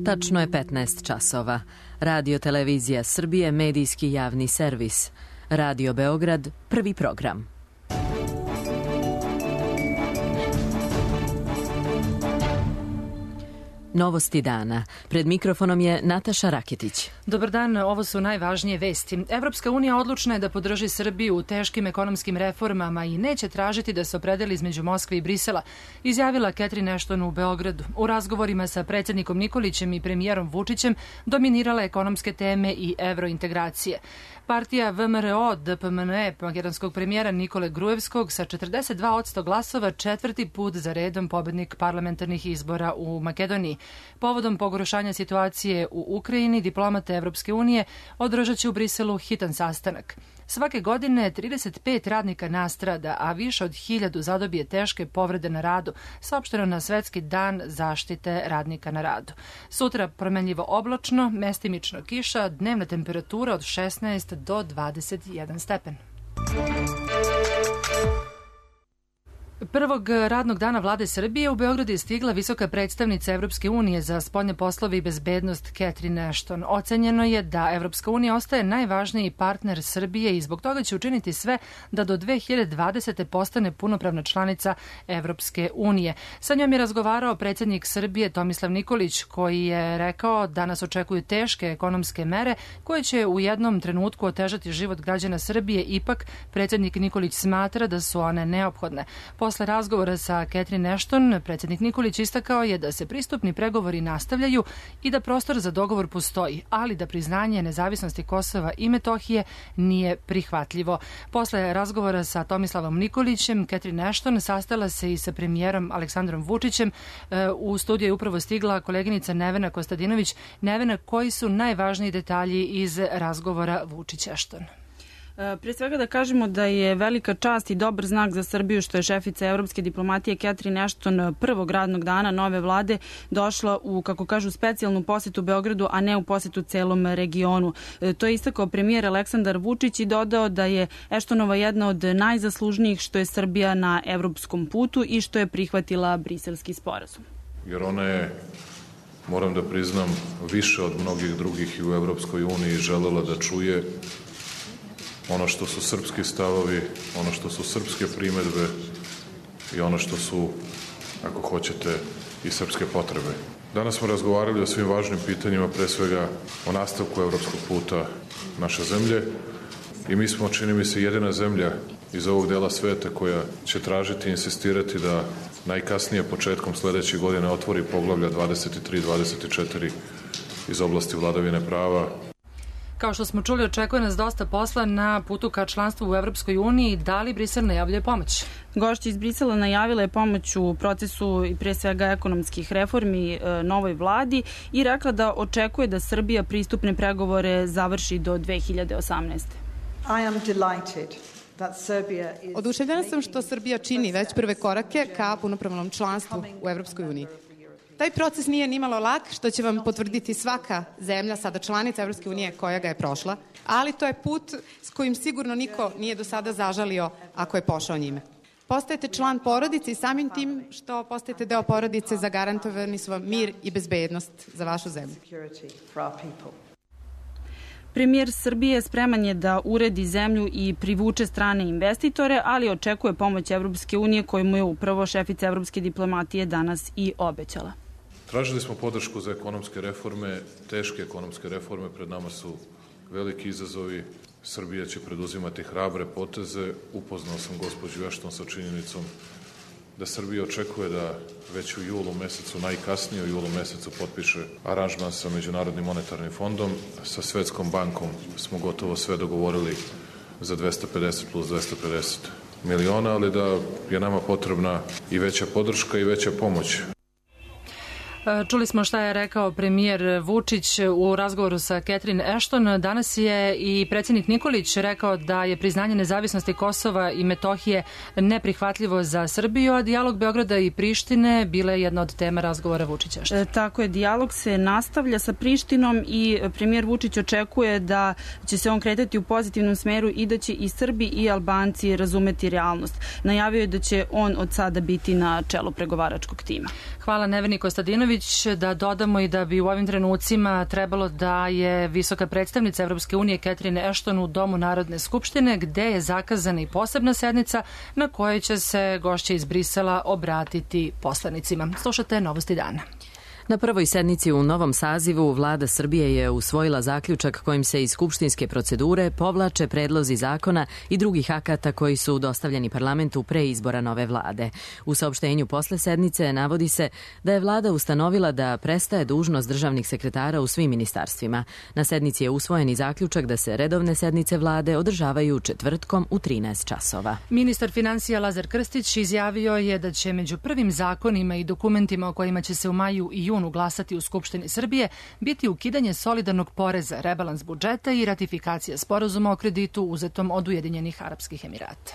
Tačno je 15 časova. Radio Televizija Srbije, medijski javni servis. Radio Beograd, prvi program. Novosti dana. Pred mikrofonom je Nataša Raketić. Dobar dan, ovo su najvažnije vesti. Evropska unija odlučna je da podrži Srbiju u teškim ekonomskim reformama i neće tražiti da se opredeli između Moskve i Brisela, izjavila Catherine Ashton u Beogradu. U razgovorima sa predsjednikom Nikolićem i premijerom Vučićem dominirala ekonomske teme i evrointegracije. Partija VMRO DPMNE makedonskog premijera Nikole Gruevskog sa 42% glasova četvrti put za redom pobednik parlamentarnih izbora u Makedoniji. Povodom pogoršanja situacije u Ukrajini, diplomate Evropske unije održat će u Briselu hitan sastanak. Svake godine 35 radnika nastrada, a više od 1000 zadobije teške povrede na radu, saopšteno na Svetski dan zaštite radnika na radu. Sutra promenljivo oblačno, mestimično kiša, dnevna temperatura od 16 do 21 stepen. Prvog radnog dana vlade Srbije u Beogradu je stigla visoka predstavnica Evropske unije za spoljne poslove i bezbednost Catherine Ashton. Ocenjeno je da Evropska unija ostaje najvažniji partner Srbije i zbog toga će učiniti sve da do 2020. postane punopravna članica Evropske unije. Sa njom je razgovarao predsjednik Srbije Tomislav Nikolić, koji je rekao da nas očekuju teške ekonomske mere koje će u jednom trenutku otežati život građana Srbije. Ipak, predsjednik Nikolić smatra da su one neophodne. Posle razgovora sa Catherine Ashton, predsjednik Nikolić istakao je da se pristupni pregovori nastavljaju i da prostor za dogovor postoji, ali da priznanje nezavisnosti Kosova i Metohije nije prihvatljivo. Posle razgovora sa Tomislavom Nikolićem, Catherine Ashton sastala se i sa premijerom Aleksandrom Vučićem. U studiju je upravo stigla koleginica Nevena Kostadinović. Nevena, koji su najvažniji detalji iz razgovora Vučić-Ashton? Prije svega da kažemo da je velika čast i dobar znak za Srbiju što je šefica evropske diplomatije Catherine Ashton prvog radnog dana nove vlade došla u, kako kažu, specijalnu posetu Beogradu, a ne u posetu celom regionu. To je istakao premijer Aleksandar Vučić i dodao da je Ashtonova jedna od najzaslužnijih što je Srbija na evropskom putu i što je prihvatila briselski sporazum. Jer ona je, moram da priznam, više od mnogih drugih i u Evropskoj uniji želela da čuje ono što su srpski stavovi, ono što su srpske primedbe i ono što su, ako hoćete, i srpske potrebe. Danas smo razgovarali o svim važnim pitanjima, pre svega o nastavku evropskog puta naše zemlje i mi smo, čini mi se, jedina zemlja iz ovog dela sveta koja će tražiti i insistirati da najkasnije početkom sledeće godine otvori poglavlja 23-24 iz oblasti vladavine prava. Kao što smo čuli, očekuje nas dosta posla na putu ka članstvu u Evropskoj uniji. Da li Brisel najavljuje pomoć? Gošća iz Brisela najavila je pomoć u procesu i pre svega ekonomskih reformi novoj vladi i rekla da očekuje da Srbija pristupne pregovore završi do 2018. Oduševljena sam što Srbija čini već prve korake ka punopravnom članstvu u Evropskoj uniji. Taj proces nije nimalo lak, što će vam potvrditi svaka zemlja, sada članica Evropske unije koja ga je prošla, ali to je put s kojim sigurno niko nije do sada zažalio ako je pošao njime. Postajete član porodice i samim tim što postajete deo porodice zagarantovani su vam mir i bezbednost za vašu zemlju. Premijer Srbije spreman je da uredi zemlju i privuče strane investitore, ali očekuje pomoć Evropske unije koju mu je upravo šefica evropske diplomatije danas i obećala. Tražili smo podršku za ekonomske reforme, teške ekonomske reforme, pred nama su veliki izazovi. Srbija će preduzimati hrabre poteze. Upoznao sam gospođu Ashton sa činjenicom da Srbija očekuje da već u julu mesecu, najkasnije u julu mesecu, potpiše aranžman sa Međunarodnim monetarnim fondom. Sa Svetskom bankom smo gotovo sve dogovorili za 250 plus 250 miliona, ali da je nama potrebna i veća podrška i veća pomoć. Čuli smo šta je rekao premijer Vučić u razgovoru sa Catherine Ashton. Danas je i predsjednik Nikolić rekao da je priznanje nezavisnosti Kosova i Metohije neprihvatljivo za Srbiju, a dijalog Beograda i Prištine bila je jedna od tema razgovora Vučića. Tako je, dijalog se nastavlja sa Prištinom i premijer Vučić očekuje da će se on kretati u pozitivnom smeru i da će i Srbi i Albanci razumeti realnost. Najavio je da će on od sada biti na čelu pregovaračkog tima. Hvala Neveni Kostadinović. Ivanović, da dodamo i da bi u ovim trenucima trebalo da je visoka predstavnica Evropske unije Catherine Ashton u Domu Narodne skupštine, gde je zakazana i posebna sednica na kojoj će se gošće iz Brisela obratiti poslanicima. Slušate Novosti dana. Na prvoj sednici u novom sazivu Vlada Srbije je usvojila zaključak kojim se iz skupštinske procedure povlače predlozi zakona i drugih akata koji su dostavljeni parlamentu pre izbora nove vlade. U saopštenju posle sednice navodi se da je vlada ustanovila da prestaje dužnost državnih sekretara u svim ministarstvima. Na sednici je usvojen i zaključak da se redovne sednice vlade održavaju četvrtkom u 13 časova. Ministar finansija Lazar Krstić izjavio je da će među prvim zakonima i dokumentima o kojima će se u maju i junu glasati u Skupštini Srbije biti ukidanje solidarnog poreza, rebalans budžeta i ratifikacija sporazuma o kreditu uzetom od Ujedinjenih Arapskih Emirata.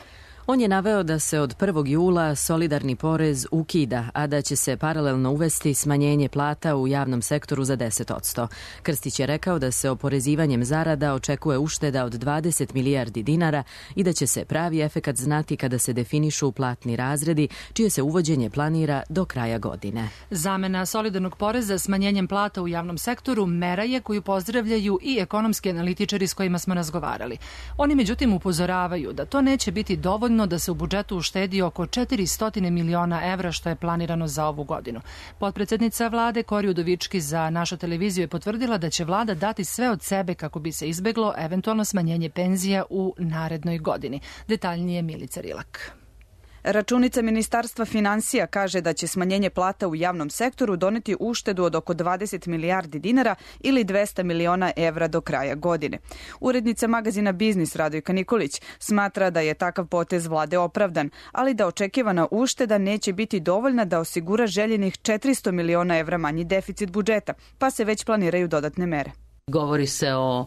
On je naveo da se od 1. jula solidarni porez ukida, a da će se paralelno uvesti smanjenje plata u javnom sektoru za 10%. Krstić je rekao da se oporezivanjem zarada očekuje ušteda od 20 milijardi dinara i da će se pravi efekat znati kada se definišu platni razredi, čije se uvođenje planira do kraja godine. Zamena solidarnog poreza smanjenjem plata u javnom sektoru mera je koju pozdravljaju i ekonomski analitičari s kojima smo razgovarali. Oni međutim upozoravaju da to neće biti dovoljno da se u budžetu uštedi oko 400 miliona evra što je planirano za ovu godinu. Potpredsednica vlade Kori Udovički za našu televiziju je potvrdila da će vlada dati sve od sebe kako bi se izbeglo eventualno smanjenje penzija u narednoj godini. Detaljnije Milica Rilak. Računica Ministarstva finansija kaže da će smanjenje plata u javnom sektoru doneti uštedu od oko 20 milijardi dinara ili 200 miliona evra do kraja godine. Urednica magazina Biznis Radojka Nikolić smatra da je takav potez vlade opravdan, ali da očekivana ušteda neće biti dovoljna da osigura željenih 400 miliona evra manji deficit budžeta, pa se već planiraju dodatne mere. Govori se o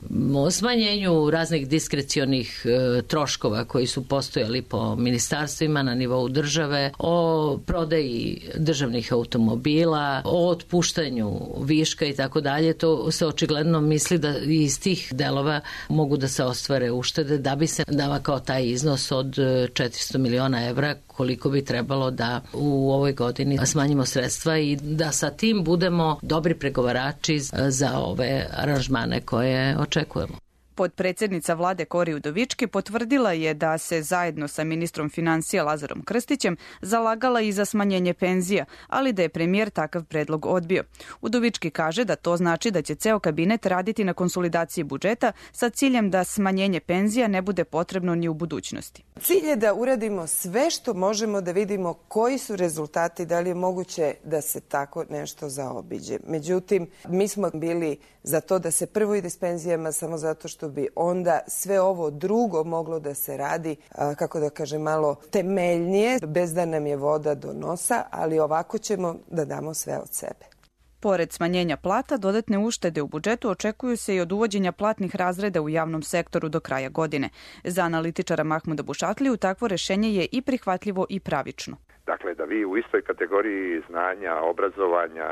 smanjenju raznih diskrecionih troškova koji su postojali po ministarstvima na nivou države, o prodaji državnih automobila, o otpuštanju viška i tako dalje. To se očigledno misli da iz tih delova mogu da se ostvare uštede da bi se dava kao taj iznos od 400 miliona evra koliko bi trebalo da u ovoj godini smanjimo sredstva i da sa tim budemo dobri pregovarači za ove aranžmane koje očekujemo. Potpredsednica vlade Kori Udovički potvrdila je da se zajedno sa ministrom finansija Lazarom Krstićem zalagala i za smanjenje penzija, ali da je premijer takav predlog odbio. Udovički kaže da to znači da će ceo kabinet raditi na konsolidaciji budžeta sa ciljem da smanjenje penzija ne bude potrebno ni u budućnosti. Cilj je da uradimo sve što možemo da vidimo koji su rezultati, da li je moguće da se tako nešto zaobiđe. Međutim, mi smo bili za to da se prvo ide s penzijama samo zato što bi onda sve ovo drugo moglo da se radi, kako da kažem, malo temeljnije, bez da nam je voda do nosa, ali ovako ćemo da damo sve od sebe. Pored smanjenja plata, dodatne uštede u budžetu očekuju se i od uvođenja platnih razreda u javnom sektoru do kraja godine. Za analitičara Mahmuda Bušatliju takvo rešenje je i prihvatljivo i pravično. Dakle, da vi u istoj kategoriji znanja, obrazovanja,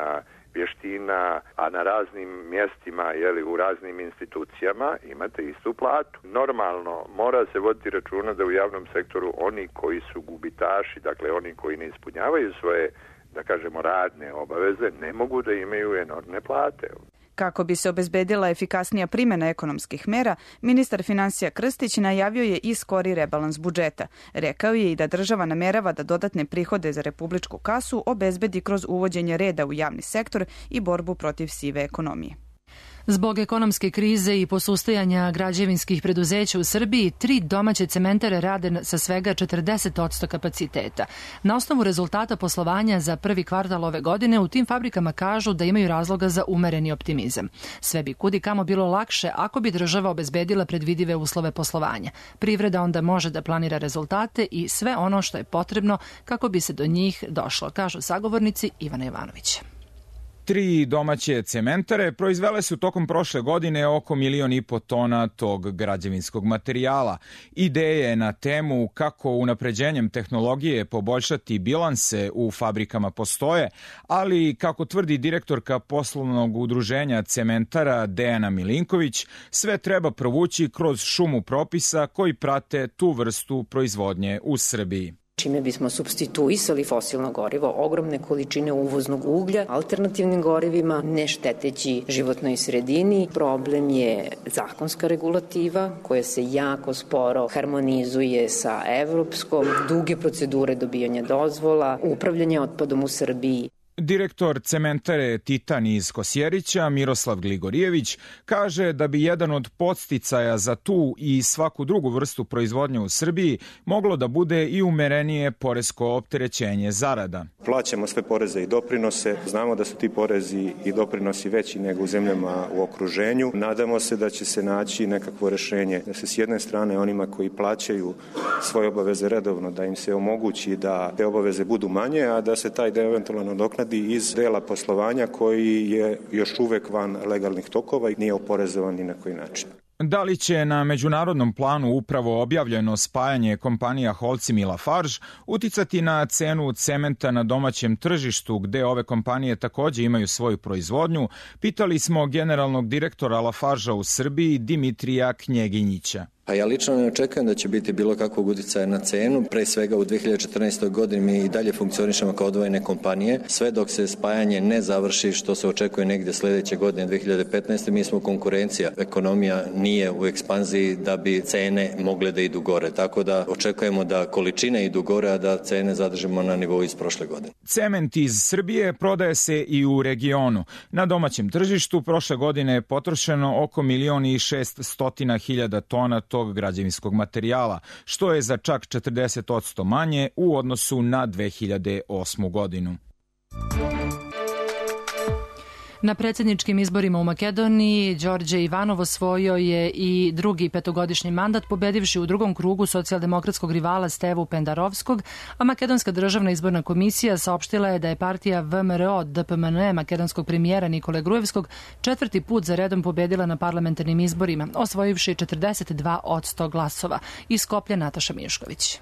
vještina, a na raznim mjestima, u raznim institucijama imate istu platu. Normalno, mora se voditi računa da u javnom sektoru oni koji su gubitaši, dakle oni koji ne ispunjavaju svoje, da kažemo, radne obaveze, ne mogu da imaju enormne plate. Kako bi se obezbedila efikasnija primjena ekonomskih mera, ministar finansija Krstić najavio je i skori rebalans budžeta. Rekao je i da država namerava da dodatne prihode za republičku kasu obezbedi kroz uvođenje reda u javni sektor i borbu protiv sive ekonomije. Zbog ekonomske krize i posustajanja građevinskih preduzeća u Srbiji, 3 domaće cementare rade sa svega 40% kapaciteta. Na osnovu rezultata poslovanja za prvi kvartal ove godine u tim fabrikama kažu da imaju razloga za umereni optimizam. Sve bi kudi kamo bilo lakše ako bi država obezbedila predvidive uslove poslovanja. Privreda onda može da planira rezultate i sve ono što je potrebno kako bi se do njih došlo, kažu sagovornici Ivana Jovanovića. 3 domaće cementare proizvele su tokom prošle godine oko 1,5 miliona tona tog građevinskog materijala. Ideje na temu kako unapređenjem tehnologije poboljšati bilanse u fabrikama postoje, ali kako tvrdi direktorka poslovnog udruženja cementara Dejana Milinković, sve treba provući kroz šumu propisa koji prate tu vrstu proizvodnje u Srbiji. čime bismo supstituisali fosilno gorivo, ogromne količine uvoznog uglja, alternativnim gorivima, ne šteteći životnoj sredini. Problem je zakonska regulativa koja se jako sporo harmonizuje sa evropskom, duge procedure dobijanja dozvola, upravljanje otpadom u Srbiji. Direktor cementare Titan iz Kosjerića, Miroslav Gligorijević, kaže da bi jedan od podsticaja za tu i svaku drugu vrstu proizvodnje u Srbiji moglo da bude i umerenije poresko opterećenje zarada. Plaćamo sve poreze i doprinose, znamo da su ti porezi i doprinosi veći nego u zemljama u okruženju. Nadamo se da će se naći nekakvo rešenje, da se s jedne strane onima koji plaćaju svoje obaveze redovno, da im se omogući da te obaveze budu manje, a da se taj deo eventualno nadoknadi iz dela poslovanja koji je još uvek van legalnih tokova i nije oporezovan ni na koji način. Da li će na međunarodnom planu upravo objavljeno spajanje kompanija Holcim i Lafarge uticati na cenu cementa na domaćem tržištu gde ove kompanije takođe imaju svoju proizvodnju, pitali smo generalnog direktora Lafargea u Srbiji Dimitrija Knjeginjića. Pa ja lično ne očekujem da će biti bilo kakvog uticaja na cenu. Pre svega u 2014. godini mi i dalje funkcionišemo kao odvojene kompanije. Sve dok se spajanje ne završi, što se očekuje negde sledeće godine, 2015. mi smo konkurencija. Ekonomija nije u ekspanziji da bi cene mogle da idu gore. Tako da očekujemo da količine idu gore, a da cene zadržimo na nivou iz prošle godine. Cement iz Srbije prodaje se i u regionu. Na domaćem tržištu prošle godine je potrošeno oko 1.600.000 tona tog građevinskog materijala, što je za čak 40% manje u odnosu na 2008. godinu. Na predsjedničkim izborima u Makedoniji Đorđe Ivanov osvojio je i drugi petogodišnji mandat, pobedivši u drugom krugu socijaldemokratskog rivala Stevu Pendarovskog, a Makedonska državna izborna komisija saopštila je da je partija VMRO DPMNE makedonskog premijera Nikole Grujevskog četvrti put za redom pobedila na parlamentarnim izborima, osvojivši 42% glasova. Iz Skoplja Nataša Mišković.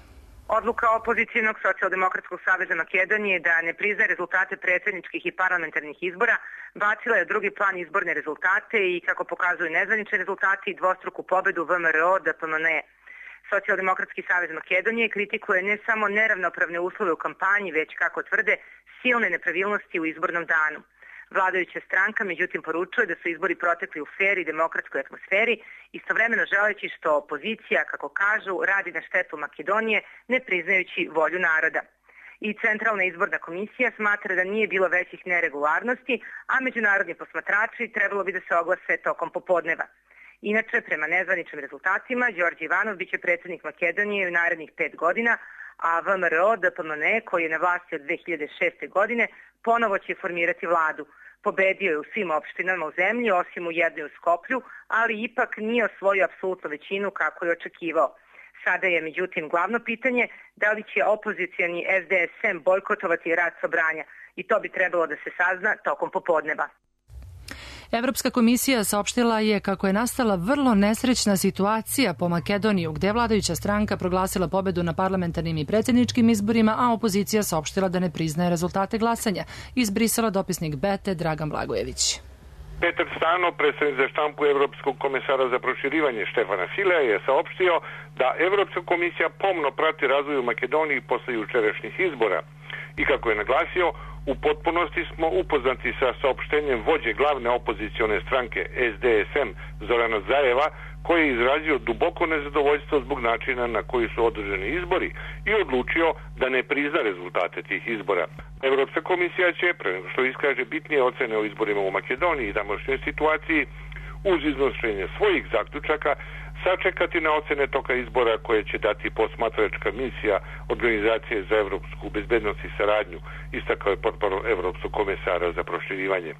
Odluka Opozicijonog socijaldemokratskog saveza Makedonije da ne priznaje rezultate predsjedničkih i parlamentarnih izbora bacila je u drugi plan izborne rezultate i, kako pokazuju nezvanični rezultati, dvostruku pobedu VMRO DPMNE. Socijaldemokratski savez Makedonije kritikuje ne samo neravnopravne uslove u kampanji, već, kako tvrde, silne nepravilnosti u izbornom danu. Vladajuća stranka međutim poručuje da su izbori protekli u fer i demokratskoj atmosferi, istovremeno želeći što opozicija, kako kažu, radi na štetu Makedonije, ne priznajući volju naroda. I Centralna izborna komisija smatra da nije bilo većih neregularnosti, a međunarodni posmatrači trebalo bi da se oglase tokom popodneva. Inače, prema nezvaničnim rezultatima, Đorđe Ivanov biće predsjednik Makedonije u narednih 5 godina, a VMRO DPMNE, koji je na vlasti od 2006. godine, ponovo će formirati vladu. Pobedio je u svim opštinama u zemlji, osim u jednoj u Skoplju, ali ipak nije osvojio apsolutnu većinu kako je očekivao. Sada je, međutim, glavno pitanje da li će opozicijani SDSM bojkotovati rad Sobranja, i to bi trebalo da se sazna tokom popodneva. Evropska komisija saopštila je kako je nastala vrlo nesrećna situacija po Makedoniju, gde je vladajuća stranka proglasila pobedu na parlamentarnim i predsjedničkim izborima, a opozicija saopštila da ne priznaje rezultate glasanja. Iz Brisela dopisnik Bete Dragan Blagojević. Petar Stano, predstavnik za štampu Evropskog komesara za proširivanje Štefana Filea, je saopštio da Evropska komisija pomno prati razvoj u Makedoniji posle jučerašnjih izbora i, kako je naglasio, u potpunosti smo upoznati sa saopštenjem vođe glavne opozicione stranke SDSM Zorana Zajeva, koji je izrazio duboko nezadovoljstvo zbog načina na koji su održani izbori i odlučio da ne prizna rezultate tih izbora. Evropska komisija će, pre nego što iskaže bitnije ocene o izborima u Makedoniji i tamošnjoj situaciji, uz iznošenje svojih zaključaka, sačekati na ocene toka izbora koje će dati posmatračka misija Organizacije za evropsku bezbednost i saradnju, istakao je portparol Evropskog komesara za proširivanje.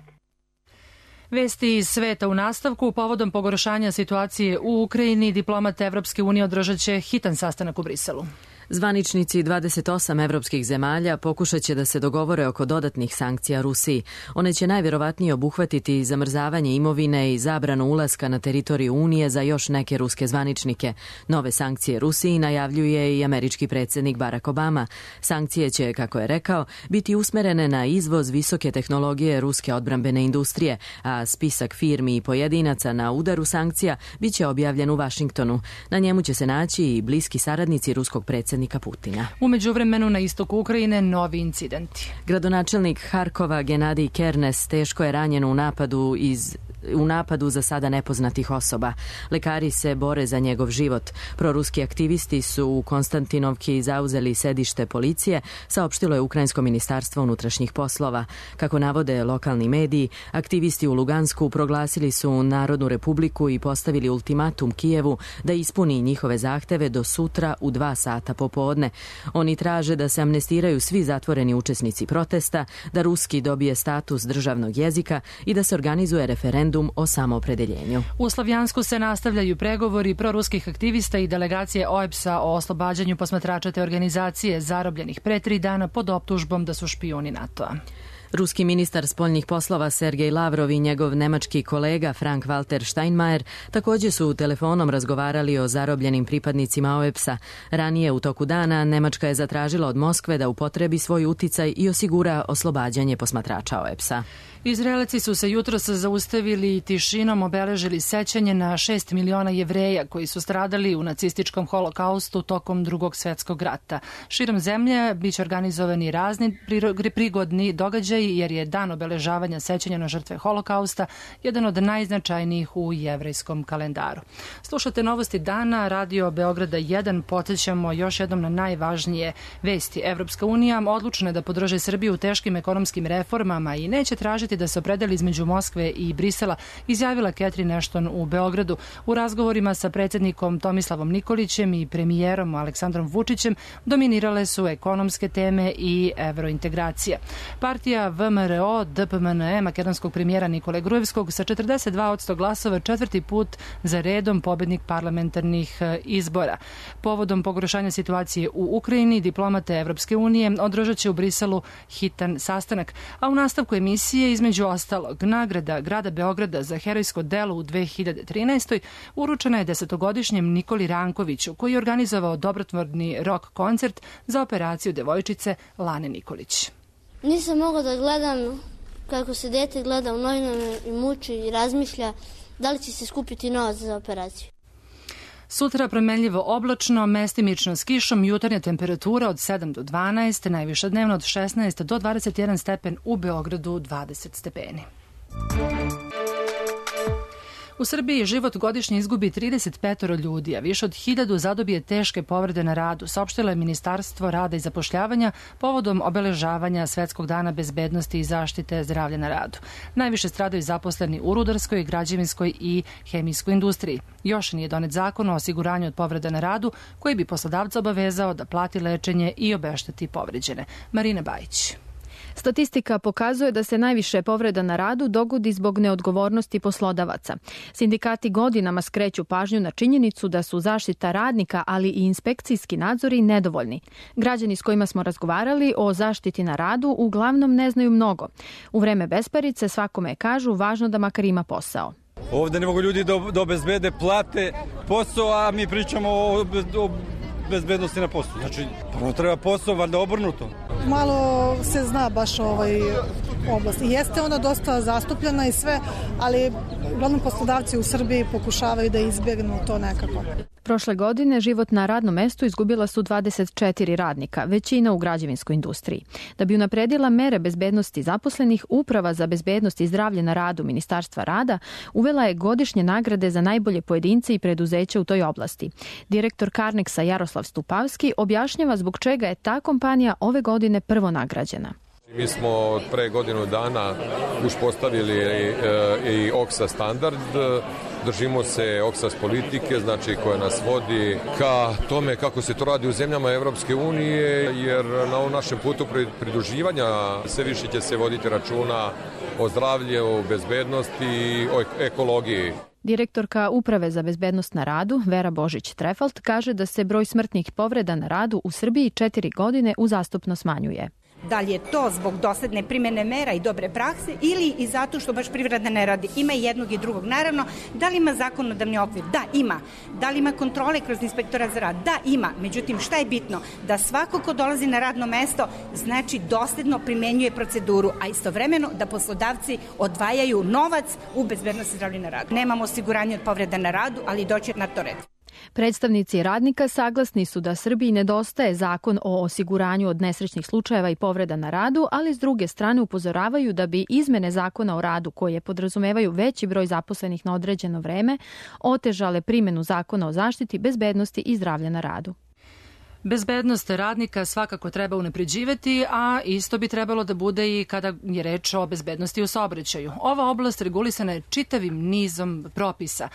Vesti iz sveta u nastavku. Povodom pogoršanja situacije u Ukrajini, diplomate Evropske unije održat će hitan sastanak u Briselu. Zvaničnici 28 evropskih zemalja pokušat će da se dogovore oko dodatnih sankcija Rusiji. One će najvjerovatnije obuhvatiti zamrzavanje imovine i zabranu ulaska na teritoriju Unije za još neke ruske zvaničnike. Nove sankcije Rusiji najavljuje i američki predsjednik Barack Obama. Sankcije će, kako je rekao, biti usmerene na izvoz visoke tehnologije ruske odbrambene industrije, a spisak firmi i pojedinaca na udaru sankcija biće objavljen u Vašingtonu. Na njemu će se naći i bliski saradnici ruskog predsjednika predsjednika Putina. U međuvremenu na istoku Ukrajine novi incidenti. Gradonačelnik Harkova Genadij Kernes teško je ranjen u napadu za sada nepoznatih osoba. Lekari se bore za njegov život. Proruski aktivisti su u Konstantinovki zauzeli sedište policije, saopštilo je Ukrajinsko ministarstvo unutrašnjih poslova. Kako navode lokalni mediji, aktivisti u Lugansku proglasili su Narodnu republiku i postavili ultimatum Kijevu da ispuni njihove zahteve do sutra u 2 sata popodne. Oni traže da se amnestiraju svi zatvoreni učesnici protesta, da ruski dobije status državnog jezika i da se organizuje referendum o samoopredeljenju. U Slavjansku se nastavljaju pregovori proruskih aktivista i delegacije OEBS-a o oslobađanju posmatrača te organizacije zarobljenih pre 3 dana pod optužbom da su špijuni NATO-a. Ruski ministar spoljnih poslova Sergej Lavrov i njegov nemački kolega Frank-Walter Steinmeier također su telefonom razgovarali o zarobljenim pripadnicima OEBS-a. Ranije u toku dana Nemačka je zatražila od Moskve da upotrebi svoj uticaj i osigura oslobađanje posmatrača OEBS-a. Izraelci su se jutros zaustavili i tišinom obeležili sećanje na 6 miliona Jevreja koji su stradali u nacističkom holokaustu tokom Drugog svjetskog rata. Širom zemlje biće organizovani razni prigodni događaji jer je dan obeležavanja sećanja na žrtve holokausta jedan od najznačajnijih u jevrejskom kalendaru. Slušate novosti dana, Radio Beograda 1, podsjećamo još jednom na najvažnije vesti. Evropska unija odlučna je da podrži Srbiju u teškim ekonomskim reformama i neće tražiti da se opredeli između Moskve i Brisela, izjavila Catherine Ashton u Beogradu. U razgovorima sa predsjednikom Tomislavom Nikolićem i premijerom Aleksandrom Vučićem dominirale su ekonomske teme i evrointegracija. Partija VMRO DPMNE makedonskog premijera Nikole Gruevskog sa 42% glasova 4. put za redom pobednik parlamentarnih izbora. Povodom pogoršanja situacije u Ukrajini, diplomate Evropske unije održat će u Briselu hitan sastanak, a u nastavku emisije između ostalog nagrada grada Beograda za herojsko delo u 2013. uručena je 10-godišnjem Nikoli Rankoviću, koji je organizovao dobrotvorni rock koncert za operaciju devojčice Lane Nikolić. Nisam mogla da gledam kako se dete gleda u novinama i muči i razmišlja da li će se skupiti novac za operaciju. Sutra promenljivo oblačno, mestimično s kišom, jutarnja temperatura od 7 do 12, najviša dnevno od 16 do 21 stepen, u Beogradu 20 stepeni. U Srbiji život godišnje izgubi 35 ljudi, a više od 1000 zadobije teške povrede na radu, saopštilo je Ministarstvo rada i zapošljavanja povodom obeležavanja Svetskog dana bezbednosti i zaštite zdravlja na radu. Najviše stradaju zaposleni u rudarskoj, građevinskoj i hemijskoj industriji. Još nije donet zakon o osiguranju od povreda na radu koji bi poslodavca obavezao da plati lečenje i obešteti povređene. Marina Bajić. Statistika pokazuje da se najviše povreda na radu dogodi zbog neodgovornosti poslodavaca. Sindikati godinama skreću pažnju na činjenicu da su zaštita radnika, ali i inspekcijski nadzori nedovoljni. Građani s kojima smo razgovarali o zaštiti na radu uglavnom ne znaju mnogo. U vreme besparice svakome kažu važno da makar ima posao. Ovde ne mogu ljudi da obezbede plate posao, a mi pričamo o bezbednosti na poslu. Znači, prvo treba posao, valjda obrnuto. Malo se zna baš oblast. Jeste ona dosta zastupljena i sve, ali uglavnom poslodavci u Srbiji pokušavaju da izbjegnu to nekako. Prošle godine život na radnom mestu izgubila su 24 radnika, većina u građevinskoj industriji. Da bi unapredila mere bezbednosti zaposlenih, Uprava za bezbednost i zdravlje na radu Ministarstva rada uvela je godišnje nagrade za najbolje pojedince i preduzeća u toj oblasti. Direktor Karneksa Jaroslav Stupavski objašnjava zbog čega je ta kompanija ove godine prvo nagrađena. Mi smo od pre godinu dana uspostavili i OKSA standard, držimo se OKSAS politike, znači koja nas vodi ka tome kako se to radi u zemljama Evropske unije, jer na ovom našem putu pridruživanja sve više će se voditi računa o zdravlju, bezbednosti i o ekologiji. Direktorka Uprave za bezbednost na radu, Vera Božić-Trefalt, kaže da se broj smrtnih povreda na radu u Srbiji 4 godine uzastopno smanjuje. Da li je to zbog dosledne primjene mera i dobre prakse ili i zato što baš privreda ne radi? Ima i jednog i drugog. Naravno, da li ima zakonodavni okvir? Da, ima. Da li ima kontrole kroz inspektora za rad? Da, ima. Međutim, šta je bitno? Da svako ko dolazi na radno mesto, znači dosledno primenjuje proceduru, a istovremeno da poslodavci odvajaju novac u bezbednosti zdravlja na radu. Nemamo osiguranje od povreda na radu, ali doći na to red. Predstavnici radnika saglasni su da Srbiji nedostaje zakon o osiguranju od nesrećnih slučajeva i povreda na radu, ali s druge strane upozoravaju da bi izmene zakona o radu, koje podrazumevaju veći broj zaposlenih na određeno vreme, otežale primjenu zakona o zaštiti, bezbednosti i zdravlja na radu. Bezbednost radnika svakako treba unapređivati, a isto bi trebalo da bude i kada je reč o bezbednosti u saobraćaju. Ova oblast regulisana je čitavim nizom propisa.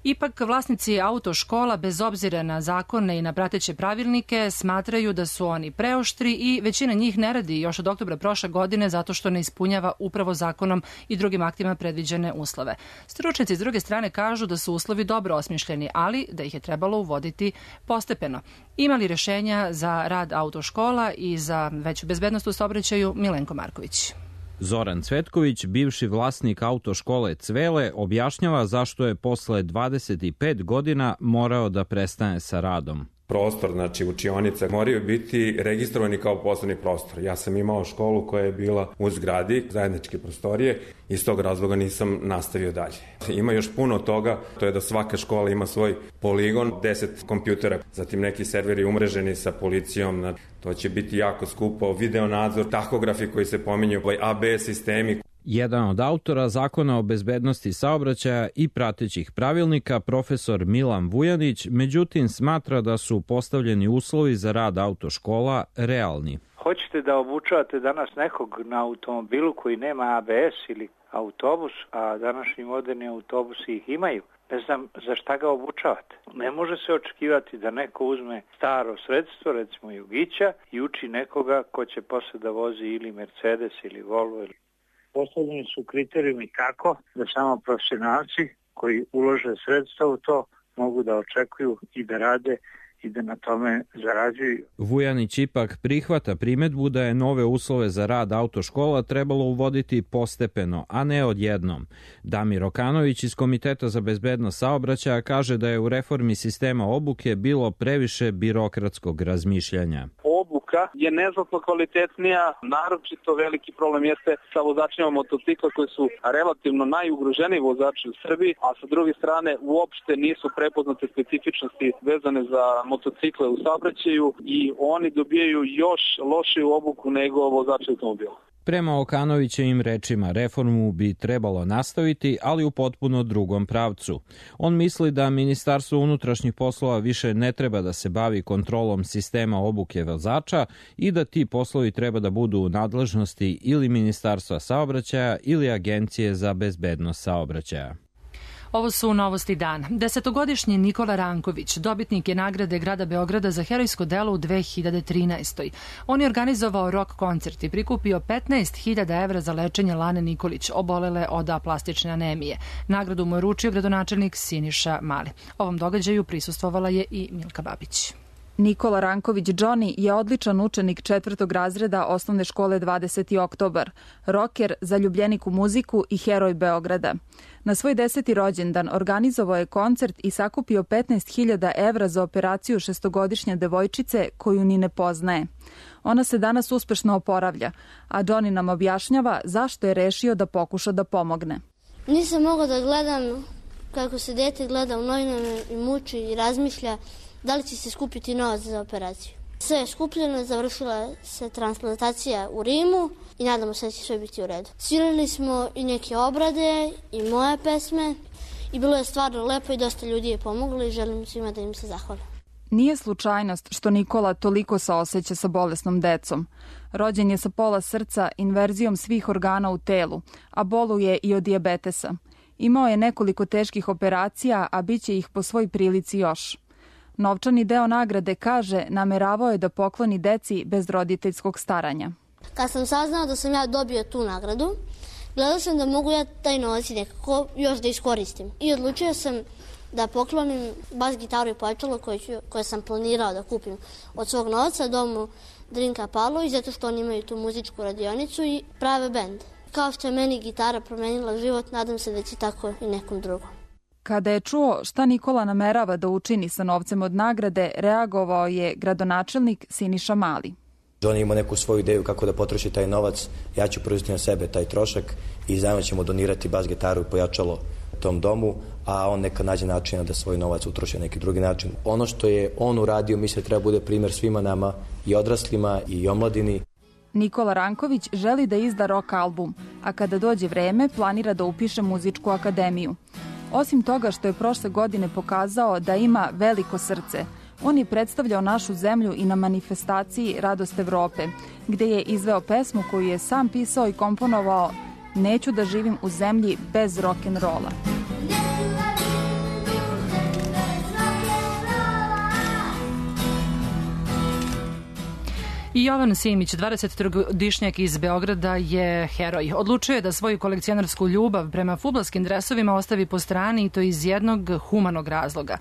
Ipak vlasnici autoškola, bez obzira na zakone i na prateće pravilnike, smatraju da su oni preoštri i većina njih ne radi još od oktobra prošle godine zato što ne ispunjava upravo zakonom i drugim aktima predviđene uslove. Stručnjaci s druge strane kažu da su uslovi dobro osmišljeni, ali da ih je trebalo uvoditi postepeno. Ima li rešenja za rad autoškola i za veću bezbednost u saobraćaju? Milenko Marković. Zoran Cvetković, bivši vlasnik autoškole Cvele, objašnjava zašto je posle 25 godina morao da prestane sa radom. Prostor, znači učionica, moraju biti registrovani kao poslovni prostor. Ja sam imao školu koja je bila u zgradi, zajedničke prostorije, i iz tog razloga nisam nastavio dalje. Ima još puno toga, to je da svaka škola ima svoj poligon, 10 kompjutera, zatim neki serveri umreženi sa policijom, to će biti jako skupo, video nadzor, tahografi koji se pominju, ABS sistemi. Jedan od autora zakona o bezbednosti saobraćaja i pratećih pravilnika, profesor Milan Vujanić, međutim smatra da su postavljeni uslovi za rad autoškola realni. Hoćete da obučavate danas nekog na automobilu koji nema ABS ili autobus, a današnji moderni autobusi ih imaju. Ne znam za šta ga obučavate. Ne može se očekivati da neko uzme staro sredstvo, recimo Jugića, i uči nekoga ko će posle da vozi ili Mercedes ili Volvo. Postavljeni su kriterijumi tako da samo profesionalci koji ulože sredstva u to mogu da očekuju i da rade i da na tome zarađuju. Vujanić ipak prihvata primedbu da je nove uslove za rad autoškola trebalo uvoditi postepeno, a ne odjednom. Damir Okanović iz Komiteta za bezbednost saobraćaja kaže da je u reformi sistema obuke bilo previše birokratskog razmišljanja. Obuka je neznatno kvalitetnija, naročito veliki problem jeste sa vozačima motocikla koji su relativno najugroženiji vozači u Srbiji, a sa druge strane uopšte nisu prepoznate specifičnosti vezane za motocikle u saobraćaju i oni dobijaju još lošiju obuku nego vozači automobila. Prema Okanovićevim rečima, reformu bi trebalo nastaviti, ali u potpuno drugom pravcu. On misli da Ministarstvo unutrašnjih poslova više ne treba da se bavi kontrolom sistema obuke vozača i da ti poslovi treba da budu u nadležnosti ili Ministarstva saobraćaja ili Agencije za bezbednost saobraćaja. Ovo su novosti dana. 10-godišnji Nikola Ranković, dobitnik je nagrade grada Beograda za herojsko delo u 2013. On je organizovao rock koncert i prikupio 15.000 evra za lečenje Lane Nikolić, obolele od aplastične anemije. Nagradu mu je uručio gradonačelnik Siniša Mali. Ovom događaju prisustvovala je i Milka Babić. Nikola Ranković Johnny je odličan učenik 4. razreda osnovne škole 20. oktobar, roker, zaljubljenik u muziku i heroj Beograda. Na svoj 10. rođendan organizovao je koncert i sakupio 15.000 evra za operaciju 6-godišnje devojčice koju ni ne poznaje. Ona se danas uspešno oporavlja, a Johnny nam objašnjava zašto je rešio da pokuša da pomogne. Nisam mogao da gledam kako se dete gleda u novinama i muči i razmišlja da li će se skupiti novac za operaciju. Sve je skupljeno, završila se transplantacija u Rimu i nadamo se da će sve biti u redu. Svirali smo i neke obrade i moje pesme i bilo je stvarno lepo i dosta ljudi je pomoglo i želim svima da im se zahvalim. Nije slučajnost što Nikola toliko saoseća sa bolesnom decom. Rođen je sa pola srca, inverzijom svih organa u telu, a boluje i od dijabetesa. Imao je nekoliko teških operacija, a bit će ih po svoj prilici još. Novčani deo nagrade, kaže, nameravao je da pokloni deci bez roditeljskog staranja. Kad sam saznao da sam ja dobio tu nagradu, gledao sam da mogu ja taj novac nekako još da iskoristim. I odlučio sam da poklonim bas gitaru i pojačalo koje sam planirao da kupim od svog novca domu Drinka Pavlović, zato što oni imaju tu muzičku radionicu i prave bend. Kao što je meni gitara promenila život, nadam se da će tako i nekom drugom. Kada je čuo šta Nikola namerava da učini sa novcem od nagrade, reagovao je gradonačelnik Siniša Mali. Johnny ima neku svoju ideju kako da potroši taj novac, ja ću preuzeti na sebe taj trošak i zajedno ćemo donirati bas gitaru i pojačalo tom domu, a on neka nađe načina da svoj novac utroši na neki drugi način. Ono što je on uradio, mislim da treba bude primjer svima nama, i odraslima i omladini. Nikola Ranković želi da izda rock album, a kada dođe vreme planira da upiše muzičku akademiju. Osim toga što je prošle godine pokazao da ima veliko srce, on je predstavljao našu zemlju i na manifestaciji Radost Evrope, gde je izveo pesmu koju je sam pisao i komponovao Neću da živim u zemlji bez rock'n'rolla. I Jovan Simić, 23-godišnjak iz Beograda, je heroj. Odlučio je da svoju kolekcionarsku ljubav prema fudbalskim dresovima ostavi po strani, i to iz jednog humanog razloga.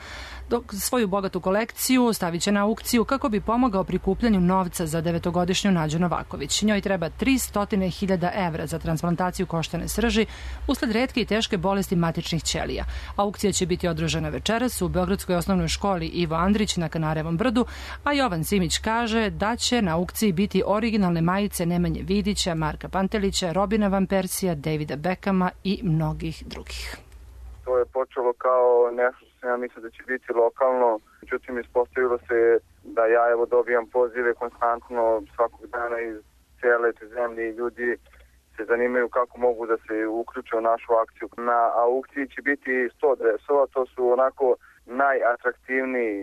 Dok svoju bogatu kolekciju stavit će na aukciju kako bi pomogao prikupljanju novca za 9-godišnju Nađu Novaković. Njoj treba 300.000 evra za transplantaciju koštane srži usled retke i teške bolesti matičnih ćelija. Aukcija će biti održana večeras u Beogradskoj osnovnoj školi Ivo Andrić na Kanarevom brdu, a Jovan Simić kaže da će na aukciji biti originalne majice Nemanje Vidića, Marka Pantelića, Robina Van Persija, Davida Beckhama i mnogih drugih. To je počelo kao nešto što sam ja mislio da će biti lokalno, međutim ispostavilo se da ja dobijam pozive konstantno svakog dana iz cijele te zemlje i ljudi se zanimaju kako mogu da se uključe u našu akciju. Na aukciji će biti 100 dresova, to su onako najatraktivniji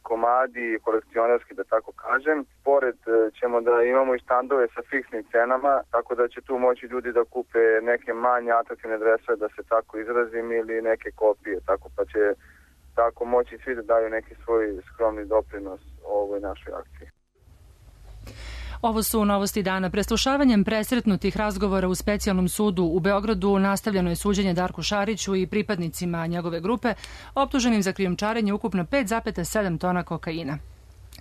komadi kolekcionarski, da tako kažem. Pored ćemo da imamo i štandove sa fiksnim cenama, tako da će tu moći ljudi da kupe neke manje atraktivne dresove, da se tako izrazim, ili neke kopije, tako pa će tako moći svi da daju neki svoj skromni doprinos ovoj našoj akciji. Ovo su novosti dana. Preslušavanjem presretnutih razgovora u specijalnom sudu u Beogradu nastavljeno je suđenje Darku Šariću i pripadnicima njegove grupe, optuženim za krijumčarenje ukupno 5,7 tona kokaina.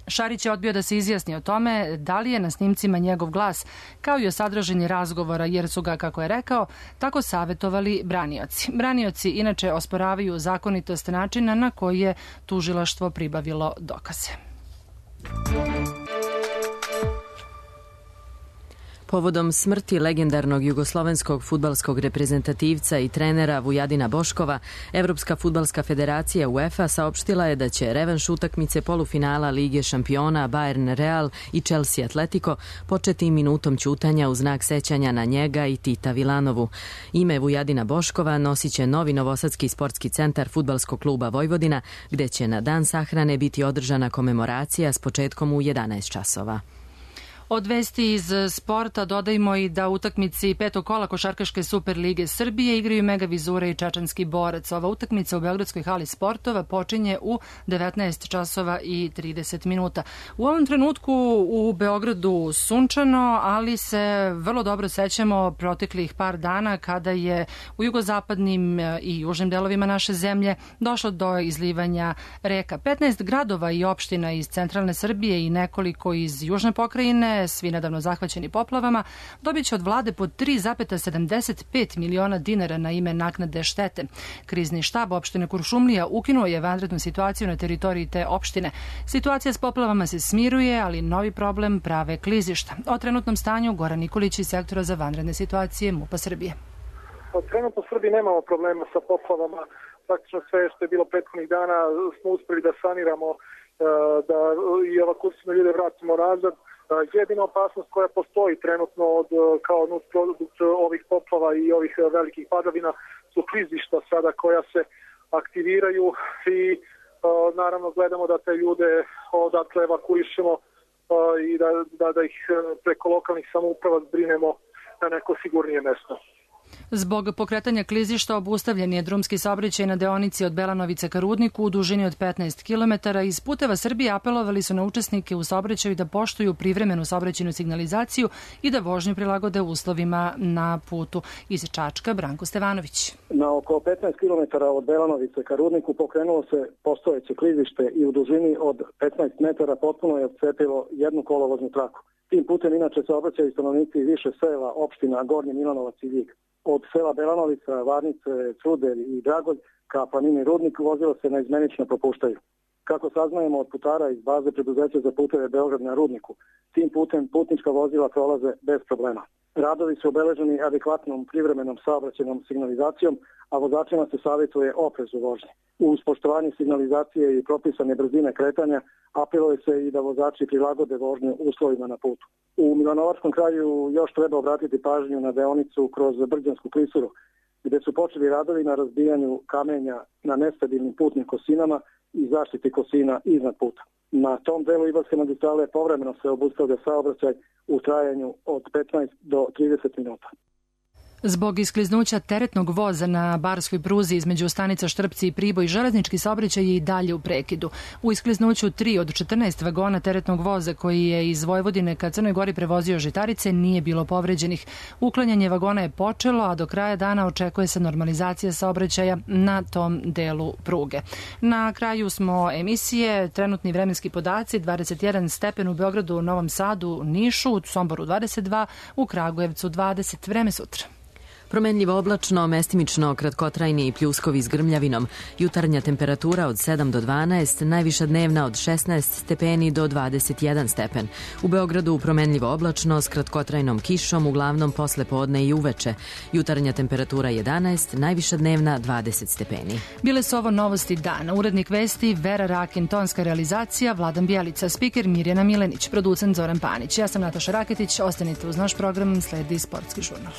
Šarić je odbio da se izjasni o tome da li je na snimcima njegov glas, kao i o sadržini razgovora, jer su ga, kako je rekao, tako savetovali branioci. Branioci inače osporavaju zakonitost načina na koji je tužilaštvo pribavilo dokaze. Povodom smrti legendarnog jugoslovenskog fudbalskog reprezentativca i trenera Vujadina Boškova, Evropska fudbalska federacija UEFA saopštila je da će revanš utakmice polufinala Lige šampiona Bayern Real i Chelsea Atletico početi minutom ćutanja u znak sećanja na njega i Tita Vilanovu. Ime Vujadina Boškova nosit će novi novosadski sportski centar Fudbalskog kluba Vojvodina, gde će na dan sahrane biti održana komemoracija s početkom u 11 časova. Od vesti iz sporta dodajmo i da u utakmici petog kola Košarkaške Super lige Srbije igraju Mega Vizura i Čačanski Borac. Ova utakmica u Beogradskoj hali sportova počinje u 19 časova i 30 minuta. U ovom trenutku u Beogradu sunčano, ali se vrlo dobro sećamo proteklih par dana kada je u jugozapadnim i južnim delovima naše zemlje došlo do izlivanja reka. 15 gradova i opština iz centralne Srbije i nekoliko iz južne pokrajine, svi nedavno zahvaćeni poplavama, dobit će od vlade po 3,75 miliona dinara na ime naknade štete. Krizni štab opštine Kuršumlija ukinuo je vanrednu situaciju na teritoriji te opštine. Situacija s poplavama se smiruje, ali novi problem prave klizišta. O trenutnom stanju Goran Nikolić iz sektora za vanredne situacije MUP-a Srbije. Trenutno u Srbiji nemamo problema sa poplavama. Praktično sve što je bilo prethodnih dana smo uspeli da saniramo, da i evakuiramo ljude vratimo nazad. Jedina opasnost koja postoji trenutno kao nusprodukt ovih poplava i ovih velikih padavina su klizišta sada koja se aktiviraju i naravno gledamo da te ljude odatle evakuišemo i da ih preko lokalnih samouprava zbrinemo na neko sigurnije mesto. Zbog pokretanja klizišta obustavljen je drumski saobraćaj na deonici od Belanovice ka Rudniku u dužini od 15 km. Iz Puteva Srbije apelovali su na učesnike u saobraćaju da poštuju privremenu saobraćajnu signalizaciju i da vožnju prilagode uslovima na putu. Iz Čačka, Branko Stevanović. Na oko 15 km od Belanovice ka Rudniku pokrenulo se postojeće klizište i u dužini od 15 metara potpuno je odcepilo jednu kolovoznu traku. Tim putem inače saobraćaju stanovnici više sela, opština Gornji Milanovac i Vig. Od sela Belanovica, Varnice, Cudelj i Dragolj ka planini Rudnik vozilo se naizmenično propuštaju. Kako saznajemo od putara iz baze preduzeća za puteve Beograd na Rudniku, tim putem putnička vozila prolaze bez problema. Radovi su obeleženi adekvatnom privremenom saobraćajnom signalizacijom, a vozačima se savjetuje oprez u vožnji. Uz poštovanje signalizacije i propisane brzine kretanja, apeluje se i da vozači prilagode vožnju uslovima na putu. U Milanovačkom kraju još treba obratiti pažnju na deonicu kroz Brđansku klisuru, gde su počeli radovi na razbijanju kamenja na nestabilnim putnim kosinama i zaštiti kosina iznad puta. Na tom delu Ibarske magistrale povremeno se obustavlja saobraćaj u trajanju od 15 do 30 minuta. Zbog iskliznuća teretnog voza na barskoj pruzi između stanica Štrpci i Priboj, železnički saobraćaj je i dalje u prekidu. U iskliznuću 3 od 14 vagona teretnog voza koji je iz Vojvodine ka Crnoj Gori prevozio žitarice nije bilo povređenih. Uklanjanje vagona je počelo, a do kraja dana očekuje se normalizacija saobraćaja na tom delu pruge. Na kraju smo emisije, trenutni vremenski podaci, 21 stepen u Beogradu, Novom Sadu, Nišu, u Somboru 22, u Kragujevcu 20. Vreme sutra. Promenljivo oblačno, mestimično kratkotrajni pljuskovi s grmljavinom. Jutarnja temperatura od 7 do 12, najviša dnevna od 16 stepeni do 21 stepen. U Beogradu promenljivo oblačno s kratkotrajnom kišom, uglavnom posle podne i uveče. Jutarnja temperatura 11, najviša dnevna 20 stepeni. Bile su ovo novosti dana. Urednik vesti Vera Rakin, tonska realizacija Vladan Bjelica, spiker Mirjana Milenić, producent Zoran Panić. Ja sam Nataša Raketić, ostanite uz naš program, sledi Sportski žurnal.